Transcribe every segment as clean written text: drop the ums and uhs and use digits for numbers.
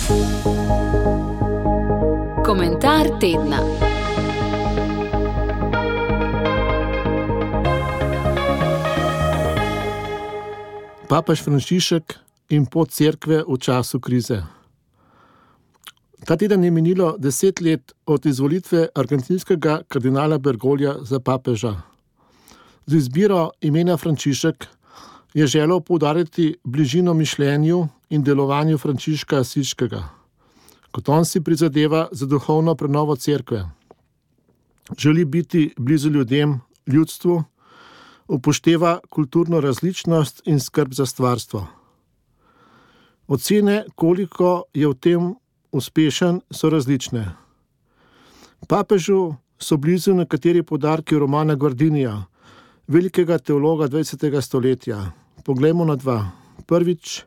Komentar tedna. Papež Frančišek in pot cerkve v času krize. Ta teden je minilo 10 let od izvolitve argentinskega kardinala Bergoglja za papeža. Z izbiro imena Frančišek je želel poudariti bližino mišljenju in delovanju Frančiška Asiškega, kot on si prizadeva za duhovno prenovo cerkve. Želi biti blizu ljudem, ljudstvu, upošteva kulturno različnost in skrb za stvarstvo. Ocene, koliko je v tem uspešen, so različne. Papežu so blizu nekateri poudarki Romana Guardinija, velikega teologa 20. stoletja. Poglejmo na dva. Prvič,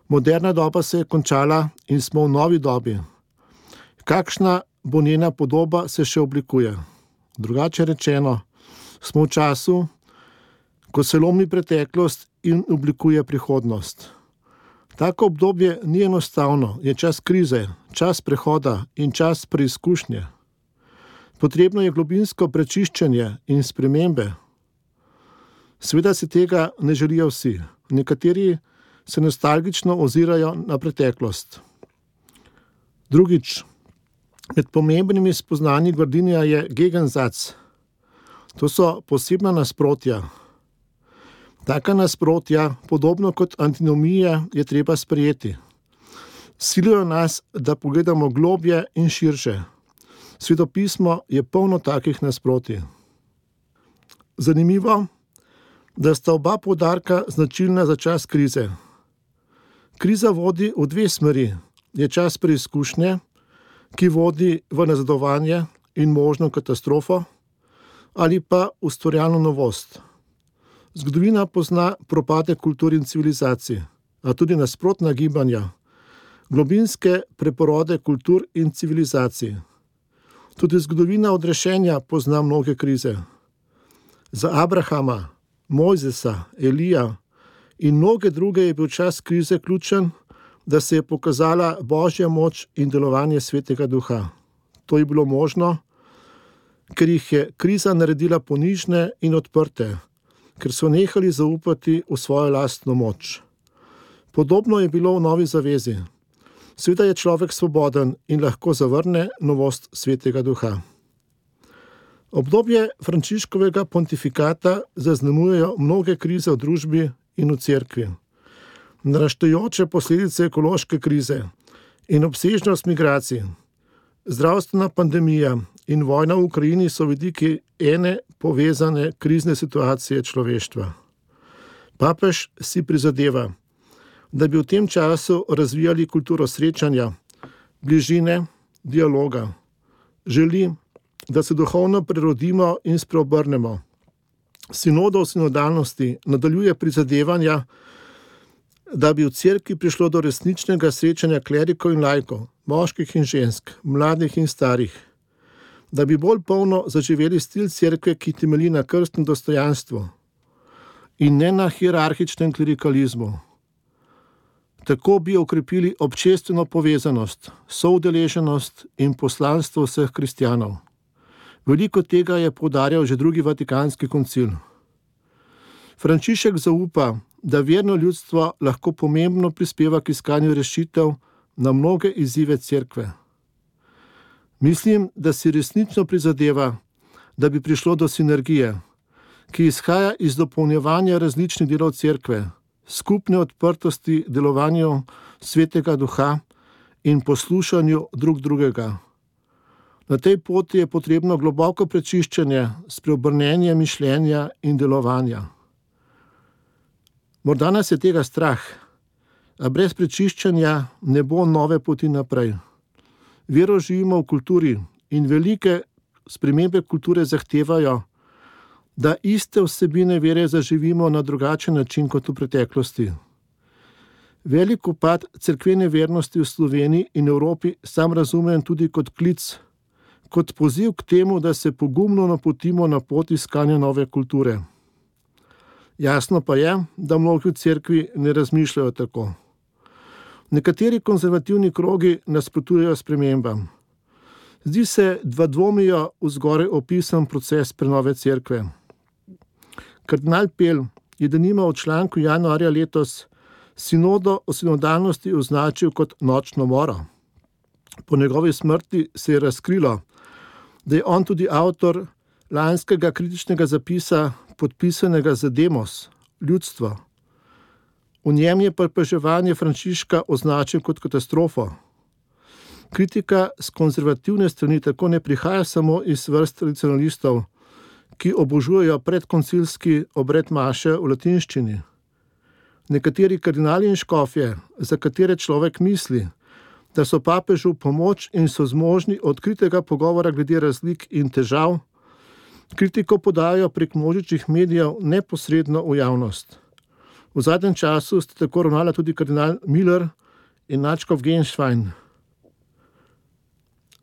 moderna doba se je končala in smo v novi dobi. Kakšna bo njena podoba, se še oblikuje. Drugače rečeno, smo v času, ko se lomi preteklost in oblikuje prihodnost. Tako obdobje ni enostavno, je čas krize, čas prehoda in čas preizkušnje. Potrebno je globinsko prečiščenje in spremembe. Seveda si tega ne želijo vsi. Nekateri se nostalgično ozirajo na preteklost. Drugič, med pomembnimi spoznanji Guardinija je Gegensatz. To so posebna nasprotja. Taka nasprotja, podobno kot antinomije, je treba sprejeti. Silijo nas, da pogledamo globje in širše. Svetopismo je polno takih nasprotij. Zanimivo, da sta oba poudarka značilna za čas krize. Kriza vodi v dve smeri. Je čas preizkušnje, ki vodi v nazadovanje in možno katastrofo, ali pa ustvarjalno novost. Zgodovina pozna propade kultur in civilizacij, a tudi nasprotna gibanja, globinske preporode kultur in civilizacij. Tudi zgodovina odrešenja pozna mnoge krize. Za Abrahama, Mojzesa, Elija in mnoge druge je bil čas krize ključen, da se je pokazala Božja moč in delovanje Svetega Duha. To je bilo možno, ker jih je kriza naredila ponižne in odprte, ker so nehali zaupati v svojo lastno moč. Podobno je bilo v Novi zavezi. Seveda je človek svoboden in lahko zavrne novost Svetega Duha. Obdobje Frančiškovega pontifikata zaznamujejo mnoge krize v družbi in v cerkvi. Naraščajoče posledice ekološke krize in obsežnost migracij, zdravstvena pandemija in vojna v Ukrajini so vidiki ene povezane krizne situacije človeštva. Papež si prizadeva, da bi v tem času razvijali kulturo srečanja, bližine, dialoga. Želi, da se duhovno prerodimo in spreobrnemo. Sinoda v sinodalnosti nadaljuje prizadevanja, da bi v cerkvi prišlo do resničnega srečanja klerikov in laikov, moških in žensk, mladih in starih, da bi bolj polno zaživeli stil cerkve, ki temelji na krstnem dostojanstvu in ne na hierarhičnem klerikalizmu. Tako bi okrepili občestveno povezanost, soudeleženost in poslanstvo vseh kristjanov. Veliko tega je poudarjal že drugi Vatikanski koncil. Frančišek zaupa, da verno ljudstvo lahko pomembno prispeva k iskanju rešitev na mnoge izzive cerkve. Mislim, da si resnično prizadeva, da bi prišlo do sinergije, ki izhaja iz dopolnjevanja različnih delov cerkve, skupne odprtosti delovanju Svetega Duha in poslušanju drug drugega. Na tej poti je potrebno globoko prečiščenje, spreobrnenje mišljenja in delovanja. Morda nas je tega strah, a brez prečiščenja ne bo nove poti naprej. Vero živimo v kulturi in velike spremembe kulture zahtevajo, da iste vsebine vere zaživimo na drugačen način kot v preteklosti. Velik upad cerkvene vernosti v Sloveniji in Evropi sam razumem tudi kot klic, kot poziv k temu, da se pogumno napotimo na pot iskanja nove kulture. Jasno pa je, da mnogi v cerkvi ne razmišljajo tako. Nekateri konzervativni krogi nasprotujejo spremembam. Zdi se, da dvomijo v zgoraj opisan proces prenove cerkve. Kardinal Pel je denimo v članku januarja letos sinodo o sinodalnosti označil kot nočno moro. Po njegovi smrti se je razkrilo, da je on tudi avtor lanskega kritičnega zapisa, podpisanega za demos, ljudstvo. V njem je papeževanje Frančiška označil kot katastrofo. Kritika z konzervativne strani tako ne prihaja samo iz vrst tradicionalistov, ki obožujejo predkoncilski obred maše v latinščini. Nekateri kardinali in škofje, za katere človek misli, da so papežu pomoč in so zmožni odkritega pogovora glede razlik in težav, kritiko podajo prek množičnih medijev neposredno v javnost. V zadnjem času sta tako ravnala tudi kardinal Miller in nadškof Genštajn.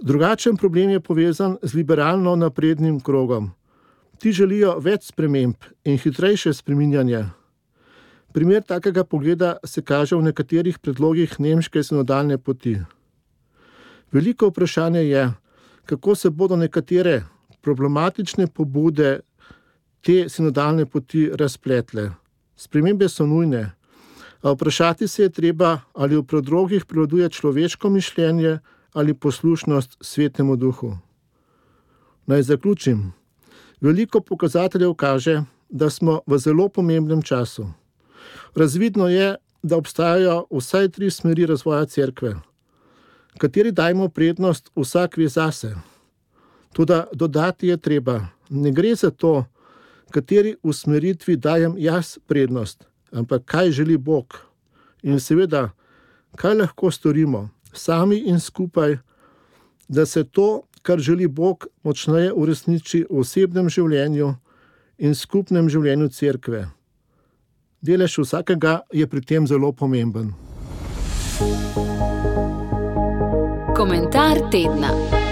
Drugačen problem je povezan z liberalno naprednim krogom. Ti želijo več sprememb in hitrejše spreminjanje. Primer takega pogleda se kaže v nekaterih predlogih nemške sinodalne poti. Veliko vprašanje je, kako se bodo nekatere problematične pobude te sinodalne poti razpletle. Spremembe so nujne, a vprašati se je treba, ali v predlogih prevladuje človeško mišljenje ali poslušnost Svetemu Duhu. Naj zaključim. Veliko pokazateljev kaže, da smo v zelo pomembnem času. Razvidno je, da obstajajo vsaj 3 smeri razvoja cerkve, kateri dajmo prednost vsak ve zase. Toda dodati je treba, ne gre za to, kateri usmeritvi dajem jaz prednost, ampak kaj želi Bog. In seveda, kaj lahko storimo sami in skupaj, da se to, kar želi Bog, močneje uresniči v osebnem življenju in skupnem življenju cerkve. Delež vsakega je pri tem zelo pomemben. Komentar tedna.